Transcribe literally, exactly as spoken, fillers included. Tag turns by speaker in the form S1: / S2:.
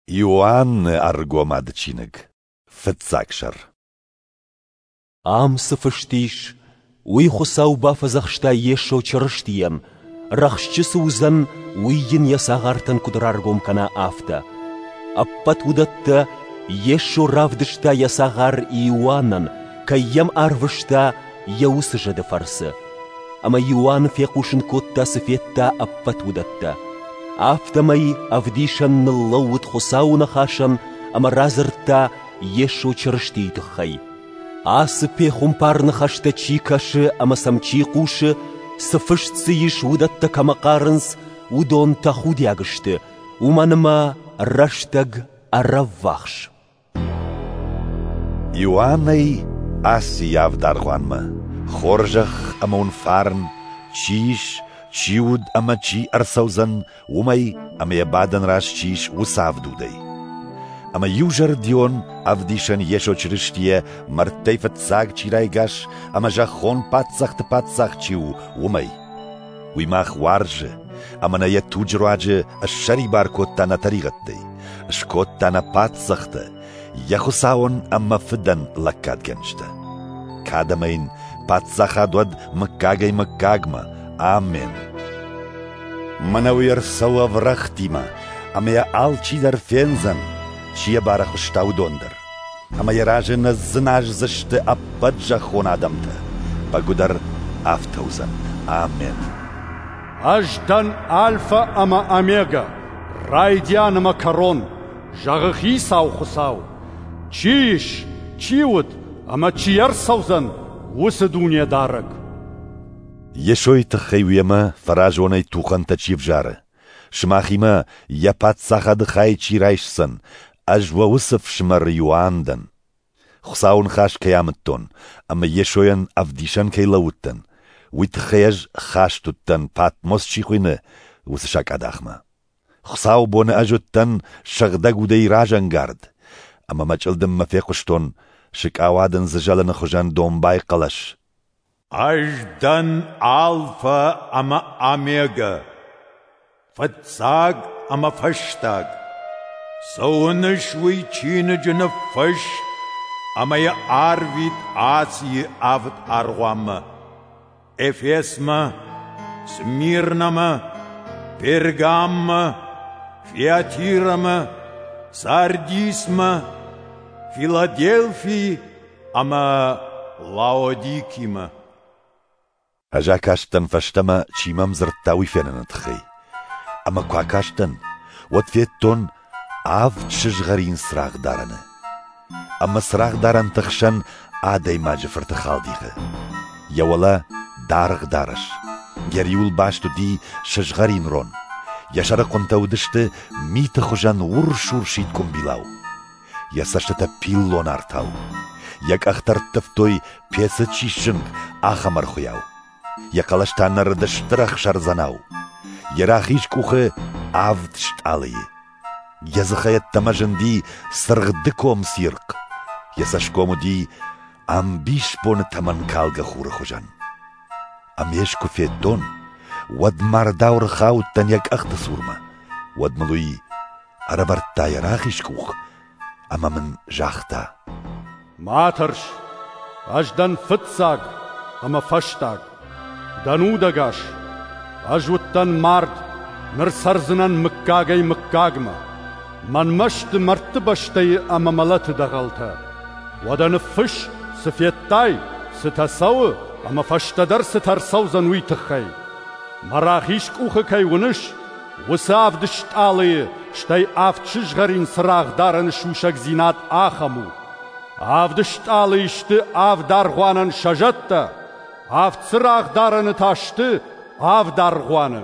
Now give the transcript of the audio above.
S1: Иоанны Ӕргомады чиныг, фыццаг сӕр.
S2: Ам цы фыст ис, уый Хуыцау бафӕдзӕхста Йесо Чырыстийӕн, рӕхджы цы уыдзӕн, уый йын йӕ цагъартӕн куыд раргом кӕна, афтӕ. Ӕппӕт уыдӕттӕ Йесо равдыста йӕ цагъар Иоаннӕн, кӕй йӕм арвыста йӕ уыцы зӕды фӕрцы. Ӕмӕ Иоанн фехъусын кодта, цы федта, ӕппӕт уыдӕттӕ. Афтӕмӕй ӕвдисӕн ныллӕууыд Хуыцауы ныхасӕн ӕмӕ радзырдта Йесо Чырыстийы тыххӕй. Ацы пехуымпар ныхӕстӕ чи кӕсы ӕмӕ сӕм чи хъусы, цы фыст дзы ис, уыдӕттӕ кӕмӕ хъарынц, уыдон тӕхудиаг сты, уымӕн ӕмӕ рӕстӕг ӕрӕввахс.
S1: Иоаннӕй Асийы авд аргъуанмӕ, хорзӕх ӕмӕ уын фарн, чи ис, чи уыд ӕмӕ чи ӕрцӕудзӕн, уымӕй ӕмӕ йӕ бадӕн раз чи ис, уыцы авд удӕй. Ӕмӕ иузӕрдион ӕвдисӕн Йесо Чырыстийӕ мӕрдтӕй фыццаг чи райгас ӕмӕ зӕххон паддзӕхты паддзах чи у, уымӕй. Уый мах уарзы ӕмӕ нӕ йӕ туджы руаджы ссӕрибар кодта нӕ тӕригъӕдтӕй, скодта нӕ паддзӕхтӕ, йӕ Хуыцауӕн ӕмӕ Фыдӕн лӕггадгӕнджытӕ. Кад ӕмӕ йын паддзахад уӕд мыггагӕй-мыггагмӕ. Амен. Мӕнӕ уый ӕрцӕуы ӕврӕгътимӕ, ӕмӕ йӕ алчидӕр фендзӕн, чи йӕ барӕхуыста, уыдон дӕр. Ӕмӕ йӕ разы ныдздзыназдзысты ӕппӕт зӕххон адӕмтӕ. Бӕгуыдӕр афтӕ уыдзӕн. Амен.
S3: Ӕз дӕн Альфа ӕмӕ Омега, райдиан ӕмӕ кӕрон, зӕгъы Хицау Хуыцау. Чи ис, чи уыд ӕмӕ чи ӕрцӕудзӕн, уыцы Дунедарӕг.
S1: Йесойы тыххӕй уемӕ фӕразонӕй тухӕнтӕ чи взары, сымахимӕ йӕ паддзахады хай чи райсдзӕн, ӕз уӕ уыцы фсымӕр Иоанн дӕн. Хуыцауы ныхас кӕй амыдтон ӕмӕ Йесойӕн ӕвдисӕн кӕй лӕууыдтӕн, уый тыххӕй ӕз хаст уыдтӕн, Патмос чи хуыйны, уыцы сакъадахмӕ. Хуыцауы боны ӕз уыдтӕн сыгъдӕг удӕй разӕнгард, ӕмӕ мӕ чъылдыммӕ фехъуыстон сыкъауадындзы зӕлыны хуызӕн домбай хъӕлӕс.
S4: Ӕз дӕн Алфа ӕмӕ Омега, фыццаг ӕмӕ фӕстаг. Цы уыныс, уый чиныджы ныффысс ӕмӕ йӕ арвит Асийы авд аргъуанмӕ: Эфесмӕ, Смирнӕмӕ, Пергаммӕ, Фиатирӕмӕ, Сардисмӕ, Филаделфи ӕмӕ Лаодикимӕ.
S1: Ӕз акастӕн фӕстӕмӕ, чи мӕм дзырдта, уый феныны тыххӕй. Ӕмӕ куы акастӕн, уӕд федтон авд сызгъӕрин цырагъдарӕны. Ӕмӕ цырагъдарӕнты хсӕн адӕймаджы фырты халдихы. Йӕ уӕлӕ даргъ дарӕс, йӕ риуыл баст уыди сызгъӕрин рон. Йӕ сӕрыхъуынтӕ уыдысты миты хуызӕн урс-урсид къуымбилау. Йӕ цӕстытӕ пиллон артау. Йӕ къӕхтӕ ӕрттывтой, пецы чи сзынг, ахӕм ӕрхуыйау. Йӕ хъӕлӕс та нӕрыд стыр ӕхсӕрдзӕнау. Йӕ рахиз къухы авд стъалыйы. Йӕ дзыхӕй ӕддӕмӕ зынди цыргъ дыком цирхъ. Йӕ цӕсгом уыди ӕмбисбоны тӕмӕнкалгӕ хуры хуызӕн. Ӕмӕ ӕз куы федтон, уӕд мардау ӕрхаудтӕн йӕ къӕхты цурмӕ. Уӕд мыл уый ӕрӕвӕрдта йӕ рахиз къух ӕмӕ мын загъта:
S3: Ма тӕрс, ӕз дӕн фыццаг ӕмӕ фӕстаг. Дӕн удӕгас. Ӕз уыдтӕн мард, ныр цӕрдзынӕн мыггагӕй-мыггагмӕ. Мӕнмӕ сты мӕрдты бӕстӕйы ӕмӕ мӕлӕты дӕгъӕлтӕ. Уӕдӕ ныффысс, цы федтай, цытӕ цӕуы ӕмӕ фӕстӕдӕр цытӕ ӕрцӕудзӕн, уый тыххӕй. Мӕ рахиз къухы кӕй уыныс, уыцы авд стъалыйы, стӕй авд сызгъӕрин цырагъдарӕны сусӕгдзинад ахӕм у. Авд стъалыйы сты авд аргъуанӕн сӕ зӕдтӕ, авд цырагъдарӕны та сты авд аргъуаны.